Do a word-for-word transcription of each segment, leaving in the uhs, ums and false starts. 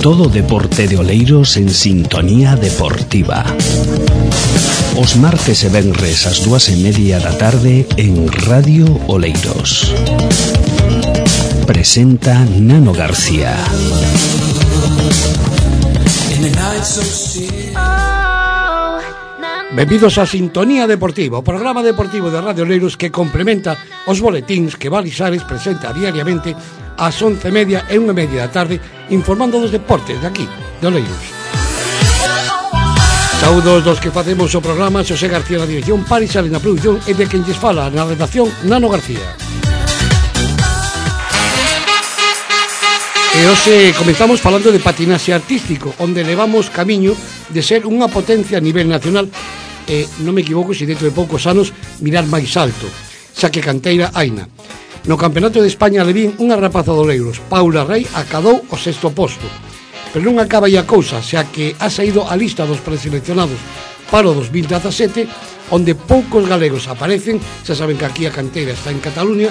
Todo o deporte de Oleiros en sintonía deportiva. Os martes e venres ás dúas e media da tarde en Radio Oleiros. Presenta Nano García. Benvidos a Sintonía Deportiva, o programa deportivo de Radio Oleiros que complementa os boletíns que Balisares presenta diariamente ás once e media e unha e media da tarde, informando dos deportes de aquí, de Oleiros. Saúdos dos que facemos o programa, Xosé García na dirección, Balisares na produción e de quen lles fala na redacción, Nano García. E hoxe comenzamos falando de patinaxe artístico, onde levamos camiño de ser unha potencia a nivel nacional e, non me equivoco, se dentro de poucos anos mirar máis alto, xa que canteira haina. No Campeonato de España levín unha rapaza de Oleiros, Paula Rey, acadou o sexto posto. Pero non acaba aí a cousa, xa que ha saído a lista dos preseleccionados para o dos mil dezasete, onde poucos galegos aparecen, xa saben que aquí a canteira está en Cataluña,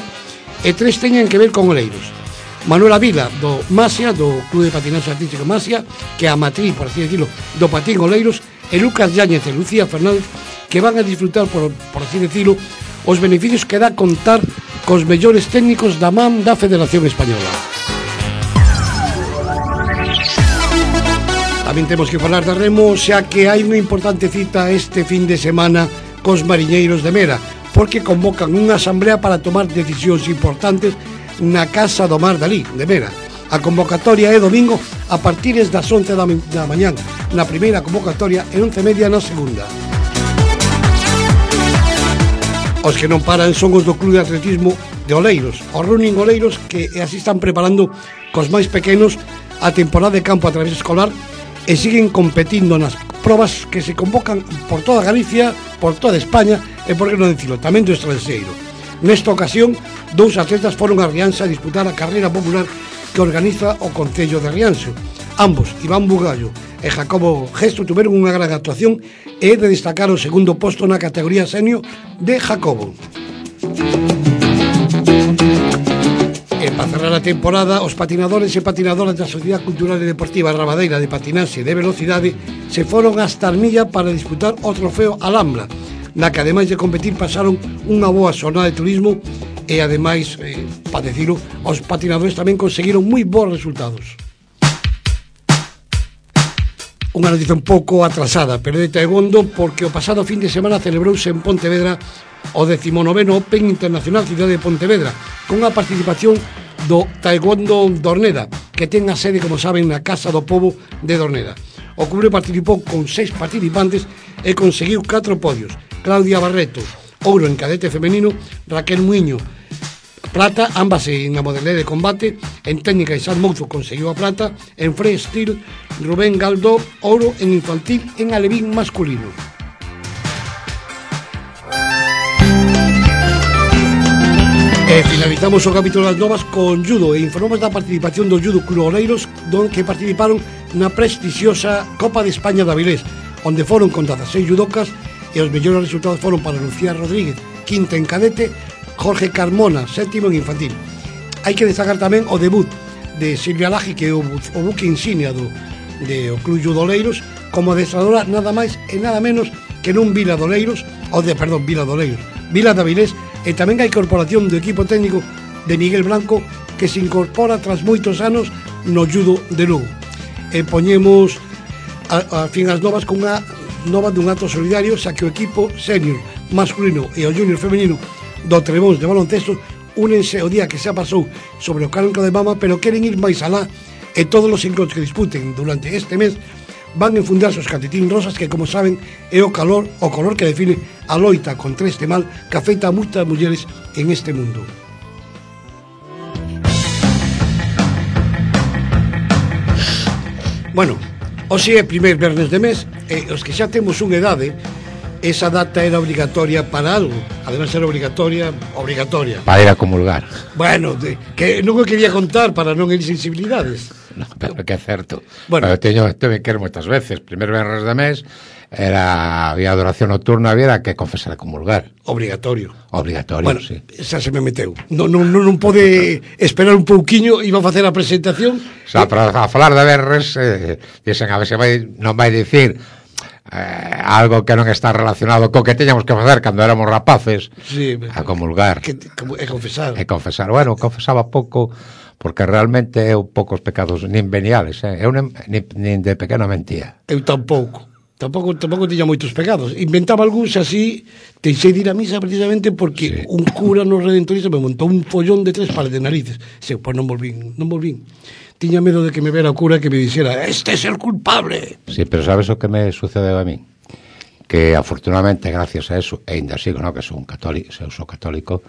e tres teñen que ver con Oleiros. Manuela Vila, do Masia, do Clube de Patinaxe Artístico Masia, que é a matriz, por así decirlo, do patín Oleiros, e Lucas Yáñez e Lucía Fernández, que van a disfrutar, por, por así decirlo, os beneficios que dá contar cos mellores técnicos da man da Federación Española. Tamén temos que falar de remo, xa que hai unha importante cita este fin de semana cos mariñeiros de Mera, porque convocan unha asamblea para tomar decisións importantes na Casa do Mar dalí, de Mera. A convocatoria é domingo a partir das once da, da mañán na primeira convocatoria e once e media na segunda. Os que non paran son os do Clube de Atletismo de Oleiros, o Running Oleiros, que así están preparando cos máis pequenos a temporada de campo a través escolar e siguen competindo nas probas que se convocan por toda Galicia, por toda España e, por que non dicilo, tamén do estranxeiro. Nesta ocasión, dous atletas foron a Rianxa a disputar a carreira popular que organiza o Concello de Rianxo. Ambos, Iván Bugallo e Jacobo Gesto, tuveron unha gran actuación e de destacar o segundo posto na categoría senior de Jacobo. E para cerrar a temporada, os patinadores e patinadoras da Sociedade Cultural e Deportiva Rabadeira de Patinaxe de Velocidade se foron hasta Armilla para disputar o trofeo Alhambra, na que ademais de competir pasaron unha boa xornada de turismo e ademais, eh, para decirlo, os patinadores tamén conseguiron moi bons resultados. Unha noticia un pouco atrasada, pero de taekwondo, porque o pasado fin de semana celebrouse en Pontevedra o decimonoveno Open Internacional Cidade de Pontevedra, con a participación do Taekwondo Dorneda, que ten a sede, como saben, na Casa do Pobo de Dorneda. O clube participou con seis participantes e conseguiu catro podios. Claudia Barreto, ouro en cadete femenino, Raquel Muiño, plata, ambas en a modalidade de combate, en técnica Isaac Mouzo conseguiu a plata, en freestyle Rubén Galdó, ouro en infantil en alevín masculino. E finalizamos o capítulo das novas con judo e informamos da participación do Judo Club Oleiros, don que participaron na prestixiosa Copa de España de Avilés, onde foron con dezaseis judocas e os mellores resultados foron para Lucía Rodríguez, quinta en cadete, Jorge Carmona, sétimo en infantil. Hai que destacar tamén o debut de Silvia Laje, que é o, o buque insignia do, de o Club Judo Oleiros, como adestradora nada máis e nada menos que nun Vila de Oleiros, ou de, perdón, Vila de Oleiros, Vila de Avilés, e tamén a incorporación do equipo técnico de Miguel Blanco, que se incorpora tras moitos anos no judo de Lugo. E poñemos a, a fin as novas con unha nova dun acto solidario, xa que o equipo senior masculino e o junior femenino do Trebóns de baloncesto únense o día que xa pasou sobre o calenco de mama, pero queren ir máis alá e todos os encontros que disputen durante este mes van a enfundarse os calcetín rosas, que, como saben, é o calor, o color que define a loita contra este mal que afecta a moitas mulleres en este mundo. Bueno, hoxe é primeiro vernes de mes e os que xa temos unha idade, esa data era obligatoria para algo. Además era obligatoria, obligatoria. Para ir a comulgar. Bueno, de, que non o quería contar para non herir sensibilidades. No, pero que é certo. Bueno, eu teño, teño que ir moitas veces, primeiro venres de mes, era había adoración nocturna, había que confesar e comulgar. Obrigatorio. Obrigatorio, bueno, sí. Xa se me meteu. Non, non, non pode esperar un pouquiño, iba a facer a presentación. O sea, para a falar de berres, eh, dicen, a ver se vai, non vai dicir eh, algo que non está relacionado co que teñamos que facer cando éramos rapaces, sí, a comulgar. Que, e confesar. E confesar. Bueno, confesaba pouco, porque realmente eu poucos pecados nin veniales, eh? eu nin, nin, nin de pequeno mentía. Eu tampouco. Tampouco, tampouco tiña moitos pecados. Inventaba algúns así, deixei de ir a misa precisamente porque sí. Un cura no Redentorista me montou un follón de tres pares de narices. Se, pois non volvín, non volvín. Tiña medo de que me vera o cura que me dixera, este é el culpable. Sí, pero sabes o que me sucedeu a mí? Que afortunadamente, gracias a eso, e ainda sigo, no, que sou un católico, sou, sou católico,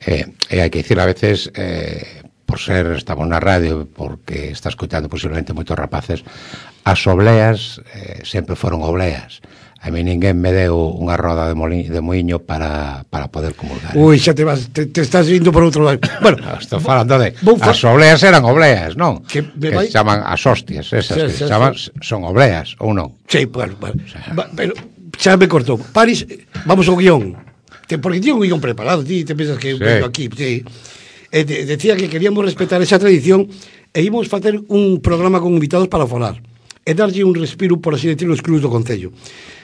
eh, e hai que dicir a veces, eh, por ser, estamos na radio, porque está escutando posiblemente moitos rapaces, as obleas eh, sempre foron obleas. A mí ninguén me deu unha roda de, moli, de moinho para, para poder comulgar. Ui, xa te vas, te, te estás indo por outro lado. Bueno, estou falando de, as obleas eran obleas, non? Que, que vai... se chaman as hostias, esas sí, que sí, se chaman, sí. Son obleas, ou non? Sí, bueno, bueno. O sea, va, pero xa me cortou. Paris, vamos ao guión. Te, porque tiene un guión preparado, ti te pensas que sí. Vengo aquí, sí. Eh, de, decía que queríamos respetar esa tradición e íbamos facer un programa con invitados para falar e darlle un respiro, por así decirlo, os clubs do Concello.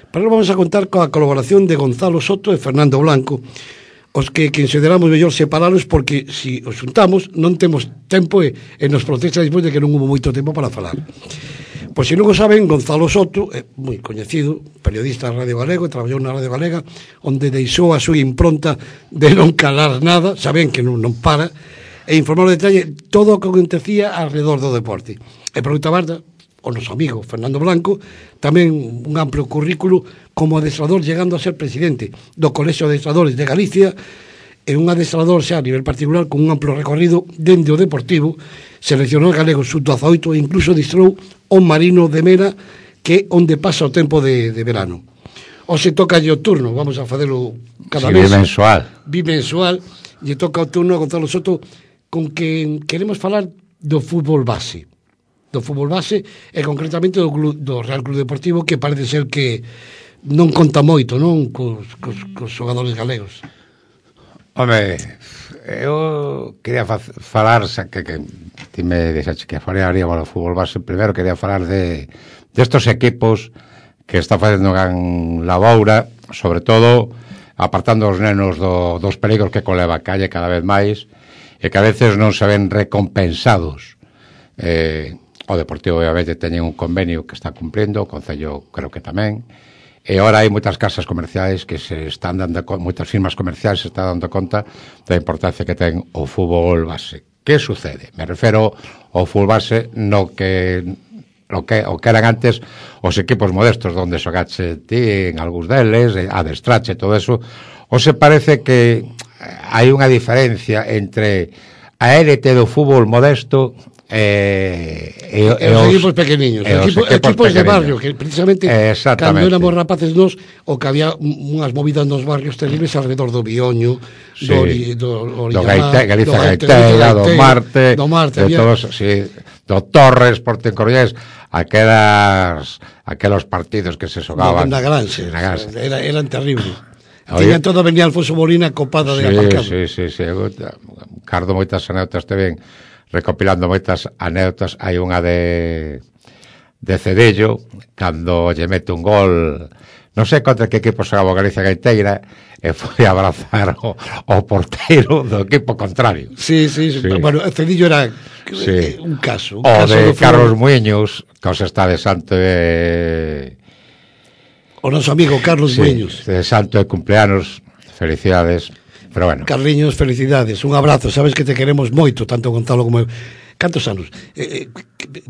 Para nós vamos a contar coa colaboración de Gonzalo Soto e Fernando Blanco, os que consideramos mellor separalos porque se si os juntamos non temos tempo e, e nos protesta despois de que non hubo moito tempo para falar. Pois se non o saben, Gonzalo Soto é moi coñecido, periodista da Radio Galego, traballou na Radio Galega, onde deixou a súa impronta de non calar nada, saben que non, non para, e informar o detalle todo o que acontecía alrededor do deporte. E por outra banda, o noso amigo Fernando Blanco, tamén un amplio currículo como adestrador, llegando a ser presidente do Colexio de Adestradores de Galicia, e un adestrador xa a nivel particular con un amplo recorrido dende o deportivo, seleccionou galego sub dezaoito e incluso distrou o Marino de Mera, que é onde pasa o tempo de, de verano. O se toca o turno, vamos a facelo cada sí, mes. Bimensual. Bimensual, lle toca o turno a Gonzalo Soto, con que queremos falar do fútbol base. Do fútbol base e concretamente do, do Real Club Deportivo, que parece ser que non conta moito, non, cos, cos, cos xogadores galegos. Home, eu quería falar, que, que ti me dixaste que falaríamos do fútbol base, primeiro quería falar de destos de equipos que está facendo gran laboura, sobre todo apartando os nenos do, dos perigos que coleva a calle cada vez máis e que a veces non se ven recompensados. Eh, o Deportivo obviamente teñen un convenio que está cumplindo, o Concello creo que tamén, e agora hai moitas casas comerciais que se están dando, moitas firmas comerciais se están dando conta da importancia que ten o fútbol base. Que sucede? Me refero ao fútbol base no que o que, o que eran antes os equipos modestos donde xogache ti en algúns deles, adestrache, todo eso, ou se parece que hai unha diferencia entre a élite do fútbol modesto Eh, e, e, e os equipos pequeniños, e equipo, equipos, equipos de barrio, que precisamente cando éramos rapaces nos, o que había unhas movidas nos barrios terribles alrededor do Bioño, sí. do, do, do, do Gaite, Galiza Gaiteira, do Marte, do Marte, de todos, sí, do Torres, Porto Coruñés, aquelas aquelos partidos que se xogaban na Granxe, era, eran terribles. Tiñan todo, venía Alfonso Molina copada sí, de aparcado. Sí, sí, sí, Cardo moitas anécdotas te ven recopilando moitas anécdotas. Hai unha de de Cedello, cando lle mete un gol, non sei contra que equipo xogaba Galicia Gaiteira, e foi a abrazar o, o porteiro do equipo contrario. Sí, sí, sí. Bueno, Cedello era sí. un caso. Un o caso de Carlos Muiños, que os está de santo de... O noso amigo Carlos sí, Muiños. De santo de cumpleanos, felicidades. Pero bueno. Carliños, felicidades, un abrazo, sabes que te queremos moito, tanto Gonzalo como eu. Cantos anos? Eh, eh,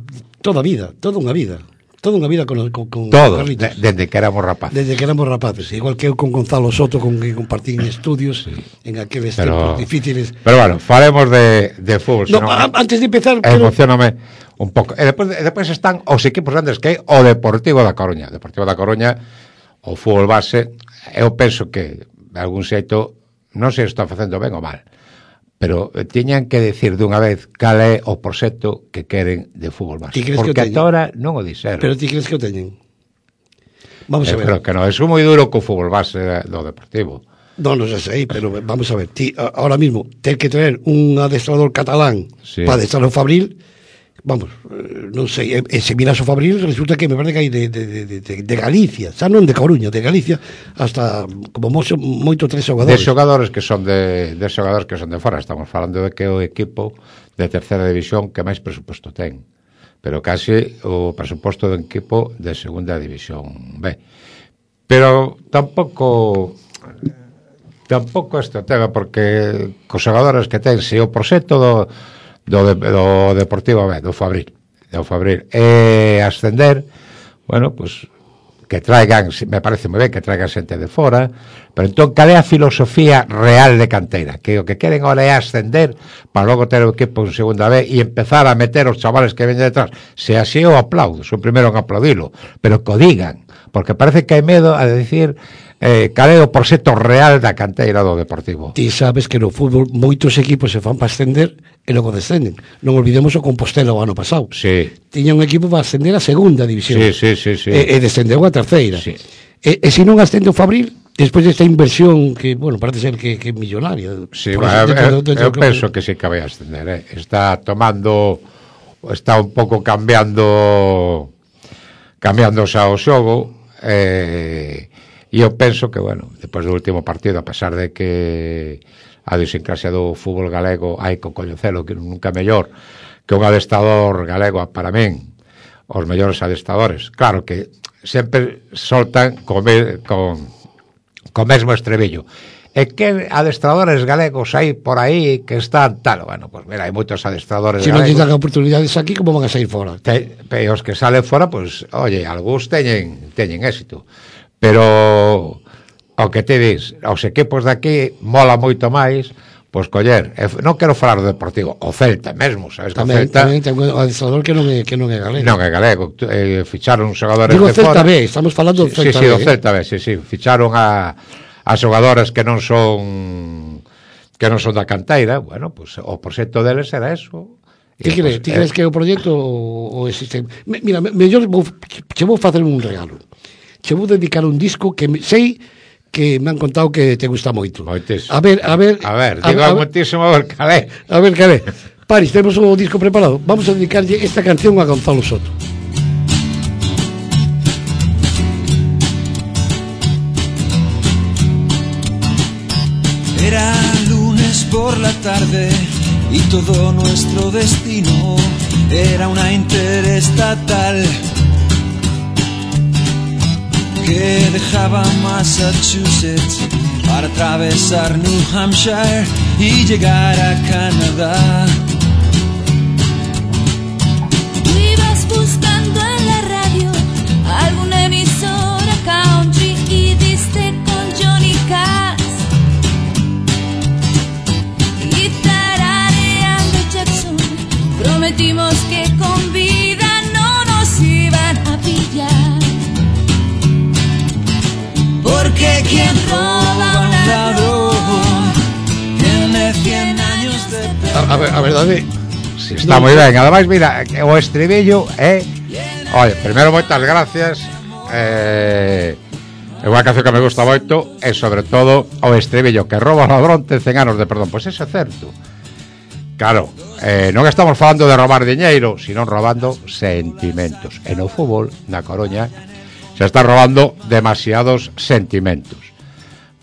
toda a vida, toda unha vida. Toda unha vida con, con, con todo, Carliños. De, desde que éramos rapaces. Desde que éramos rapaces, igual que eu con Gonzalo Soto, con que compartí en estudios, sí. en aqueles pero, tempos difíciles. Pero bueno, faremos de, de fútbol. No, no, antes de empezar... Emocioname pero... un pouco. E depois, depois están os equipos grandes que é o Deportivo da Coruña. O Deportivo da Coruña, o fútbol base, eu penso que, de algún xeito, non sei se está facendo ben ou mal, pero tiñan que decir dunha vez cal é o proxecto que queren de fútbol base, porque ata ahora non o dixeron. Pero ti crees que o teñen? Vamos a eh, ver. Pero que non é moi duro co fútbol base do Deportivo. No, no sei, pero vamos a ver, ti, ahora mismo, ter que traer un adestrador catalán sí. para adestrar o Fabril, vamos, non sei, e, e se miras o Fabril, resulta que me parece que hai de, de, de, de, de Galicia, xa non de Coruña, de Galicia, hasta como moito, moito tres xogadores. De xogadores que son de, de xogadores que son de fora, estamos falando de que o equipo de terceira división que máis presuposto ten, pero case o presuposto do equipo de segunda división B. Pero tampouco... tampouco este tema, porque cos xogadores que ten, se o proxecto do, do, do Deportivo B, do Fabril, do Fabril, e ascender, bueno, pues que traigan, me parece moi ben que traigan xente de fora, pero entón, cal é a filosofía real de canteira? Que o que queren ahora é ascender para logo ter o equipo en segunda B e empezar a meter os chavales que ven detrás. Se así o aplaudo, son primeiro en aplaudilo, pero que o digan, porque parece que hai medo a decir eh, cal é o proxecto real da canteira do Deportivo. Ti sabes que no fútbol moitos equipos se fan para ascender e logo descenden. Non olvidemos o Compostela o ano pasado. Sí. Tiña un equipo para ascender a segunda división. Sí, sí, sí, sí. E, e descendeu a terceira. Sí. E, e se non ascende o Fabril, despois desta inversión que, bueno, parece ser que, que é millonaria. Sí, bueno, eu, eu, eu penso que sí que vai ascender, eh. Está tomando, está un pouco cambiando cambiando xa o xogo, eh, e eu penso que, bueno, depois do último partido, a pesar de que a idiosincrasia do fútbol galego hai que coñecelo, que nunca mellor que un adestrador galego para min, os mellores adestradores, claro que sempre soltan con, con, con mesmo estrebillo. E que adestradores galegos hai por aí que están tal, bueno, pues mira, hai moitos adestradores se galegos. Se non dan oportunidades aquí, como van a sair fora? Te, e os que salen fora, pues, oye, algúns teñen, teñen éxito, pero o que te dis, os equipos de aquí mola moito máis, pois coller, non quero falar do Deportivo, o Celta mesmo, sabes que tamén, o Celta tamén ten un adestrador que non é, que non é galego. Non é galego, eh, ficharon xogadores Digo de Celta fora. B, estamos falando do Celta sí, sí, B. Sí, sí, do Celta B, sí, sí, ficharon a a xogadores que non son que non son da canteira, bueno, pois pues, o proxecto deles era eso. Ti crees, ti crees eh, que o proxecto o, o existe? Mira, mellor vou, che vou facer un regalo. Che vou dedicar un disco que me, sei que me han contado que te gusta moito. Moitísimo. A ver, a ver... A ver, digo a, a moitísimo a ver calé. A ver, calé. Paris, temos o disco preparado. Vamos a dedicarlle esta canción a Gonzalo Soto. Era lunes por la tarde y todo nuestro destino era una interestatal que dejaba Massachusetts para atravesar New Hampshire y llegar a Canadá. Tú ibas buscando en la radio alguna emisora country y diste con Johnny Cash y tarareando Jackson prometimos que con vida no nos iban a pillar. Porque quien roba un ladrón tiene cien años de A, a, ver, a verdade si está no, moi ben, ademais mira o estribillo é oye, primeiro moitas gracias eh, é unha canción que me gusta moito e sobre todo o estribillo que roba o ladrón ten cen anos de perdón, pois pues é certo, claro, eh, non estamos falando de robar diñeiro sino robando sentimentos e no fútbol na Coruña se está robando demasiados sentimentos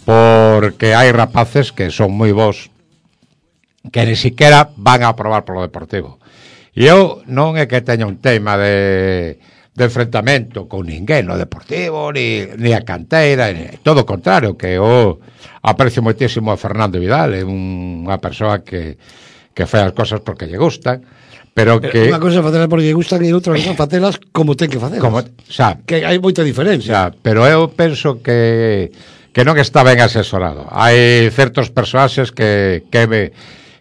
porque hai rapaces que son moi bons que ni siquiera van a aprobar polo Deportivo e eu non é que teña un tema de, de enfrentamento con ninguén no Deportivo ni, ni a canteira ni, todo o contrario, que eu aprecio moitísimo a Fernando Vidal, é unha persoa que, que fai as cosas porque lle gustan. Pero que unha cosa facelas porque lle gustan e outra cosa facelas como ten que facelas. Como, xa, que hai moita diferencia. Xa, pero eu penso que que non está ben asesorado. Hai certos personaxes que que me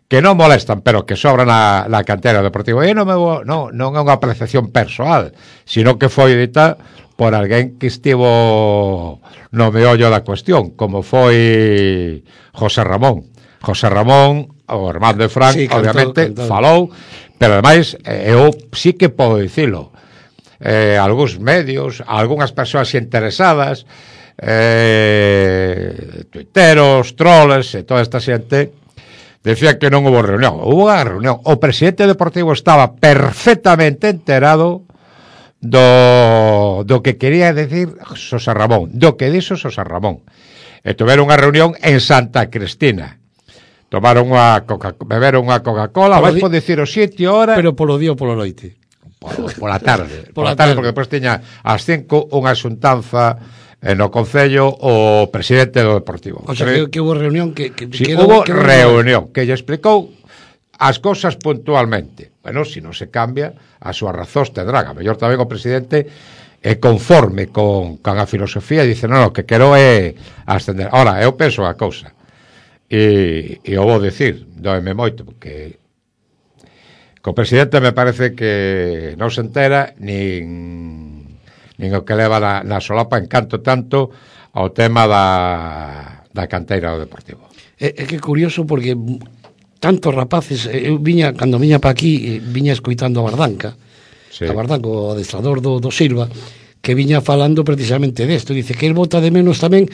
que non molestan, pero que sobran na, na cantera deportiva. E non, me vou, non, non é unha apreciación persoal, sino que foi dita por alguén que estivo no meollo da cuestión, como foi José Ramón. José Ramón, o irmán de Fran, sí, cantó, obviamente, cantó. Falou, pero ademais, eu sí que podo dicilo. eh, algúns medios, algunhas persoas interesadas, eh, tuiteros, troles e toda esta xente decía que non houve reunión. Houve unha reunión. O presidente deportivo estaba perfectamente enterado do, do que quería decir Xosé Ramón, do que dixo Xosé Ramón. E tuveron unha reunión en Santa Cristina. Tomaron unha coca, beberon unha Coca-Cola, vais poder dicir o sitio hora, pero polo día ou polo noite. Pola tarde, pola tarde, porque depois tiña ás cinco unha xuntanza no Concello o presidente do Deportivo. O sea, que, que hubo reunión que... que sí, quedou, hubo quedou reunión, que lle explicou as cousas puntualmente. Bueno, se si non se cambia, a súa razóns tendrán. A mellor tamén o presidente é conforme con, con a filosofía e dice, non, no, que quero é ascender. Ora, eu penso a cousa. E, e eu vou dicir, doeme moito, porque co presidente me parece que non se entera nin... nin o que leva na, na solapa en canto tanto ao tema da, da canteira do Deportivo. É, é que curioso porque tantos rapaces, eu viña, cando viña pa aquí, viña escoitando a Bardanca, sí. a Bardanca, o adestrador do, do Silva, que viña falando precisamente desto, dice que el bota de menos tamén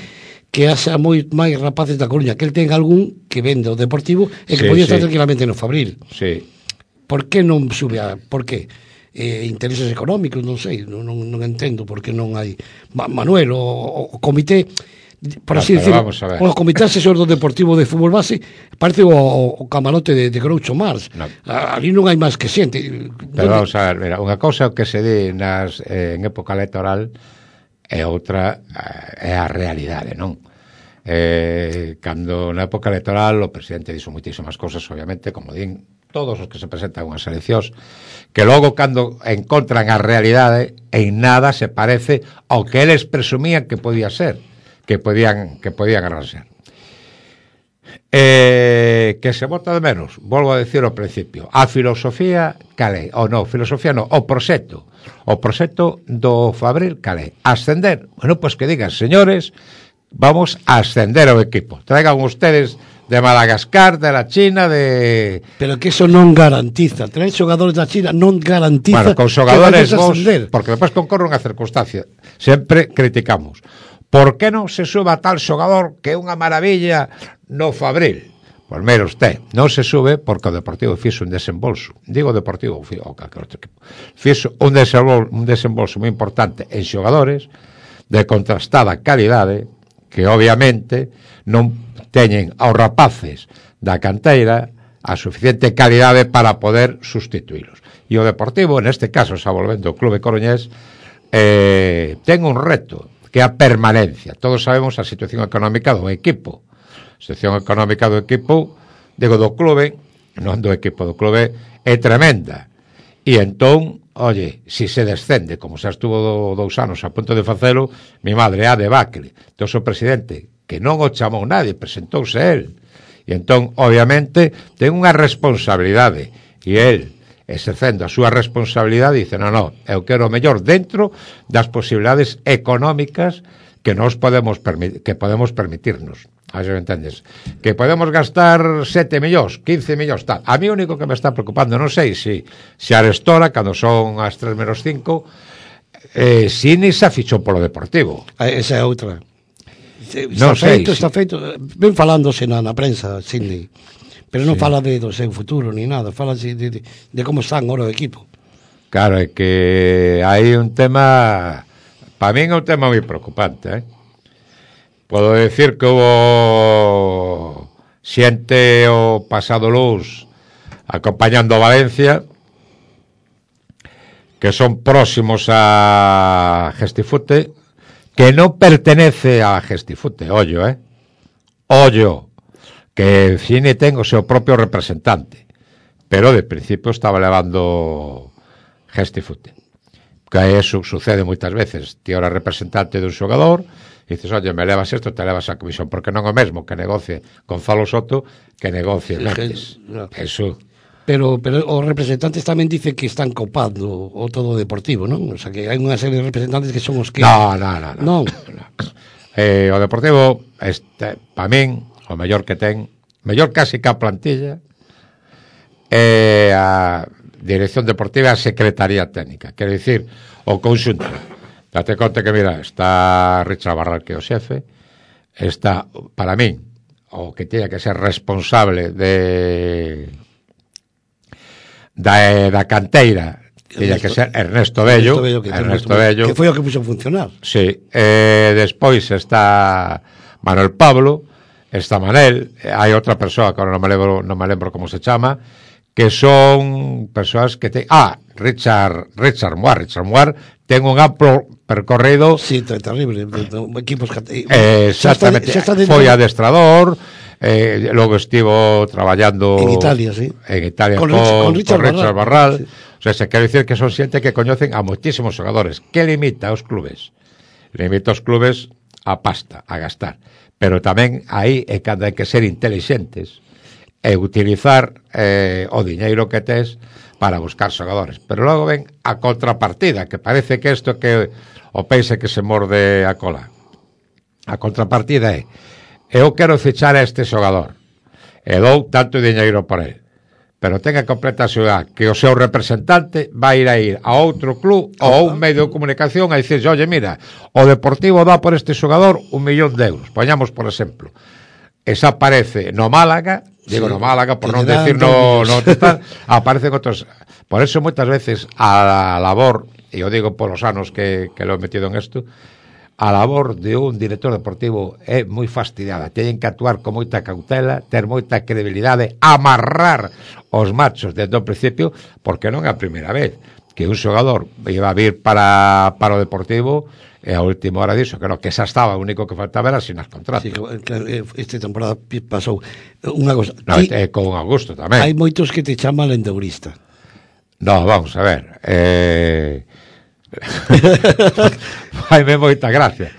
que haxa moi máis rapaces da Coruña, que el ten algún que vende o Deportivo e que sí, podía estar sí. tranquilamente no Fabril. Sí. Por que non sube a... Por que? Eh, intereses económicos, non sei, non, non, non entendo por que non hai Ma, Manuel, o, o comité por así decir, o comité asesor do Deportivo de Fútbol Base parece o, o camarote de, de Groucho Marx, no. Ali non hai máis que xente. Pero vamos a ver, mira, unha cousa que se di nas, eh, en época electoral e outra eh, é a realidade, non? Eh, cando na época electoral o presidente dixo moitísimas cousas, obviamente, como din todos os que se presentan unhas eleccións, que logo cando encontran a realidade en nada se parece ao que eles presumían que podía ser, que podían que podían arranxar. Eh, que se vota de menos, volvo a decir ao principio, a filosofía calé, ou non, filosofía non, o proxecto, o proxecto do Fabril calé, ascender, bueno, pois pues que digan, señores, vamos a ascender ao equipo, traigan ustedes de Madagascar, de la China, de... Pero que eso non garantiza. Traer xogadores da China non garantiza... Bueno, con xogadores vos... Porque depois concorre unha circunstancia. Sempre criticamos. Por que non se suba tal xogador que é unha maravilla no Fabril? Pois mira usted, non se sube porque o Deportivo fixo un desembolso. Digo Deportivo, o calquer outro equipo. Fixo un desembolso, un desembolso moi importante en xogadores de contrastada calidade que obviamente non teñen aos rapaces da canteira a suficiente calidade para poder sustituílos. E o Deportivo, neste caso, xa volvendo ao Clube Coruñés, eh, ten un reto, que é a permanencia. Todos sabemos a situación económica do equipo. A situación económica do equipo, digo, do clube, non do equipo, do clube, é tremenda. E entón, oye, si se descende, como xa estuvo do, dous anos a punto de facelo, mi madre, a debacle. Entón, o presidente, que non o chamou nadie, presentouse el. E entón, obviamente, ten unha responsabilidade. E el, exercendo a súa responsabilidade, dice, non, non, eu quero o mellor dentro das posibilidades económicas que nos podemos permitir, que podemos permitirnos. A ver se me entendes. Que podemos gastar sete millóns, quince millóns, tal. A mí o único que me está preocupando, non sei se si, si Arestora, cando son as tres menos cinco, eh, si ni se fichou polo Deportivo. Esa é outra. Está non sei, feito, si. está feito. Ven falándose na, na prensa, Sidney, pero non sí. fala de do seu futuro ni nada, fala de, de, de como están ahora o equipo. Claro, é que hai un tema, para min é un tema moi preocupante, eh? Podo decir que hubo xente o pasado luz acompañando a Valencia que son próximos a Gestifute, que non pertenece a Gestifute, ollo, eh? Ollo, que Cine ten o seu propio representante, pero de principio estaba levando Gestifute. Que eso sucede moitas veces. Ti ora representante dun xogador, e dices, oye, me levas isto, te levas a comisión, porque non é o mesmo que negocie Gonzalo Soto que negocie Mendes. No. Eso... Pero, pero os representantes tamén dicen que están copando o todo Deportivo, non? O sea, que hai unha serie de representantes que son os que... No, no, no. no. no. Eh, o Deportivo, este, para min, o mellor que ten, mellor casi que a plantilla, eh, a, dirección deportiva e secretaría técnica, quero dicir, o conxunto. Date conta que, mira, está Richard Barral, que é o xefe, está, para min, o que teña que ser responsable de da, da canteira, teña que ser Ernesto Bello, Ernesto Bello, que, Ernesto Bello, que foi o que puxo a funcionar. Sí, eh, despois está Manuel Pablo, está Manel, hai outra persoa que non me lembro, non me lembro como se chama, que son persoas que te... Ah, Richard Richard Moir, Richard Moir ten un amplo percorrido. Sí, terrible, equipos eh, exactamente, xa está, xa está foi adestrador, eh, logo estivo traballando en Italia, sí. En Italia con, con, con Richard, con Richard Barral, Barral. Sí. O sea, se quero dicir que son xente que coñecen a moitísimos xogadores. Que limita aos clubes? Limita aos clubes a pasta, a gastar. Pero tamén aí é cando hai que ser inteligentes e utilizar eh, o diñeiro que tes para buscar xogadores. Pero logo ven a contrapartida, que parece que isto que o peixe que se morde a cola. A contrapartida é: eu quero fichar a este xogador e dou tanto diñeiro por ele, pero tenga completa seguridade que o seu representante vai ir a ir a outro club ou a un medio de comunicación a dicir: oye, mira, o Deportivo dá por este xogador un millón de euros, poñamos por exemplo. Esa aparece no Málaga, digo sí, no Málaga por non decir no, no total, aparecen outros. Por eso moitas veces a labor, e eu digo polos anos que, que lo he metido en isto, a labor de un director deportivo é moi fastidiada. Teñen que actuar con moita cautela, ter moita credibilidade, amarrar os machos desde o principio, porque non é a primeira vez que un xogador iba a vir para, para o Deportivo e a última hora diso, que non, que xa estaba, o único que faltaba era asinar contrato. Sí, que esta temporada pasou unha cosa. No, ti, eh, con Augusto tamén. Hai moitos que te chaman lendourista. No, vamos a ver. Eh... Faime moita gracia.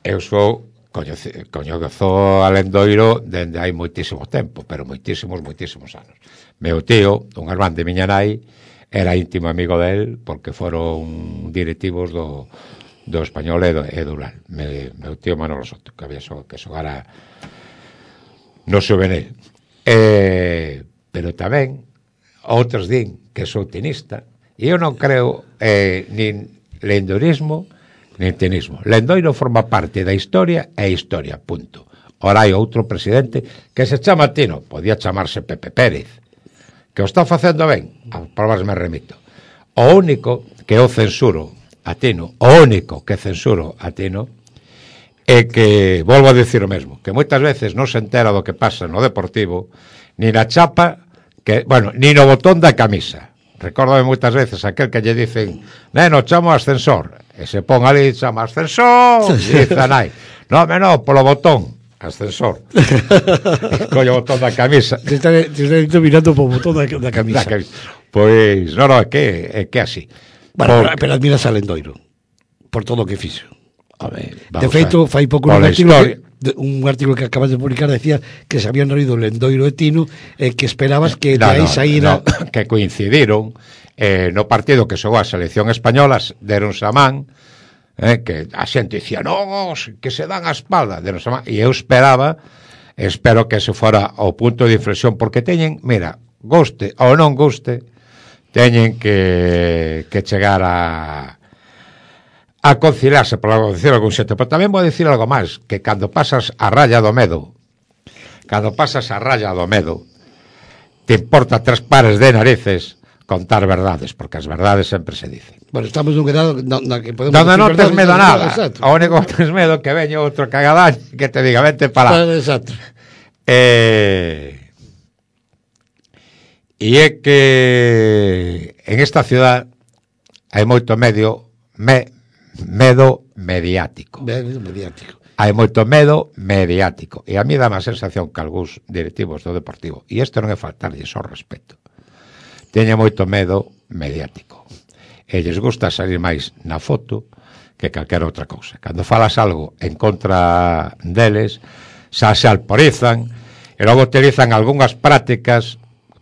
Eu sou coñezo a Lendoiro dende hai moitísimo tempo, pero moitísimos, moitísimos anos. Meu tío, un irmán de miña nai, era íntimo amigo del porque foron directivos do do Español e do, e do Ural. Me, meu tío Manolo Soto, que había so, que xogara no Xuvenil. Eh, pero tamén outros din que sou tenista, e eu non creo eh, nin lendorismo nin tenismo. Lendoiro forma parte da historia e historia, punto. Ora hai outro presidente que se chama Tino, podía chamarse Pepe Pérez, que o está facendo ben, a probas me remito. O único que eu censuro a Tino, o único que censuro a Tino é que, volvo a dicir o mesmo, que moitas veces non se entera do que pasa no Deportivo, ni na chapa, que, bueno, ni no botón da camisa. Recórdame moitas veces aquel que lle dicen: neno, chamo ascensor, e se pon ali, chama ascensor, e dice a nai: no, no, polo botón ascensor. Collo o botón da camisa. Te está, te está mirando polo botón da, da camisa. Da camisa. Pois, non, non, é que é que así. Bueno, por... pero admiras a Lendoiro por todo o que fixo. A ver, de feito, fai pouco un artigo, que, un artigo que acabas de publicar decía que se habían reído Lendoiro e Tino e eh, que esperabas que no, de aí no, saíra... No, que coincidiron eh, no partido que xogou a selección española, deronse a man, eh, que a xente dicía: no, que se dan a espalda, deronse a man, e eu esperaba, espero que se fora o punto de inflexión, porque teñen, mira, goste ou non goste, teñen que, que chegar a a conciliarse, por decir algún xeito. Pero tamén vou dicir algo máis, que cando pasas a raya do medo, cando pasas a raya do medo, te importa tres pares de narices contar verdades, porque as verdades sempre se dicen. Bueno, estamos nun quedado na, na que podemos donde non tes medo nada, o único que tes medo que veña outro cagadaño que te diga: vente para lá. Exacto. Eh... E é que en esta ciudad hai moito medio me, medo mediático. Medo mediático. Hai moito medo mediático. E a mí dá má sensación que algúns directivos do Deportivo, e isto non é faltarlle só respeto, teña moito medo mediático. E lles gusta salir máis na foto que calquera outra cousa. Cando falas algo en contra deles, xa se alporizan e logo utilizan algunhas prácticas.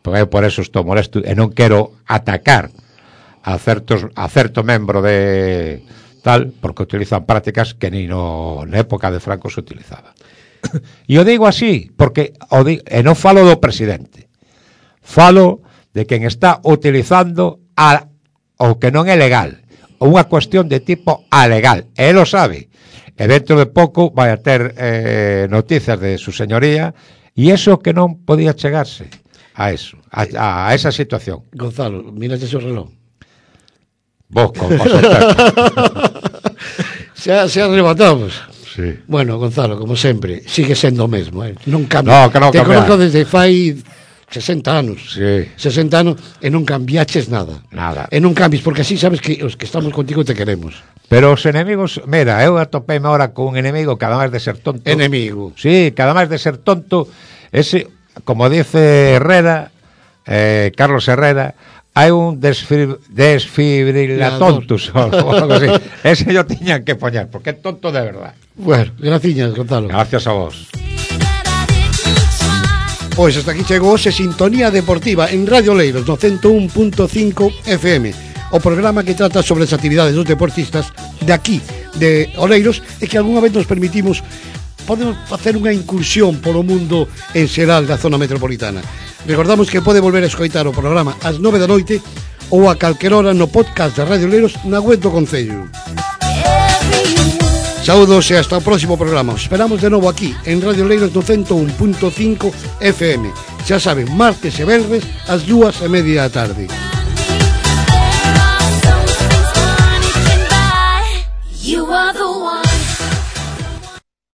Eu por eso estou molesto e non quero atacar a certos a certo membro de tal, porque utilizan prácticas que ni no na época de Franco se utilizaba. E o digo así, porque o digo, e non falo do presidente, falo de quen está utilizando a, o que non é legal, unha cuestión de tipo alegal, e lo sabe, e dentro de pouco vai a ter eh, noticias de su señoría, e eso que non podía chegarse a eso, a, a esa situación. Gonzalo, mira ese reloj. Vos, con paso xa, xa arrebatamos. Sí. Bueno, Gonzalo, como sempre, sigue sendo o mesmo, eh? Non cambia. No, que non Te cambia. conozco desde fai sesenta anos. Sí. sesenta anos e non cambiaches nada. Nada. E non cambies, porque así sabes que os que estamos contigo te queremos. Pero os enemigos, mira, eu atopéme ahora con un enemigo que además de ser tonto. Enemigo. Sí, que además de ser tonto, ese, como dice Herrera, eh, Carlos Herrera, hai un desfib desfibrilatontus o algo así. Ese yo tiñan que poñer, porque é tonto de verdad. Bueno, graciñas, Gonzalo. Gracias a vos. Pois hasta aquí chegou hoxe Sintonía Deportiva en Radio Oleiros no ciento un punto cinco F M, o programa que trata sobre as actividades dos deportistas de aquí, de Oleiros, e que algunha vez nos permitimos podemos facer unha incursión polo mundo en xeral da zona metropolitana. Recordamos que pode volver a escoitar o programa ás nove da noite ou a calquer hora no podcast de Radio Oleiros na web do Concello. Saúdos e hasta o próximo programa. Os esperamos de novo aquí en Radio Oleiros no ciento un punto cinco F M. Xa saben, martes e venres ás dúas e media da tarde.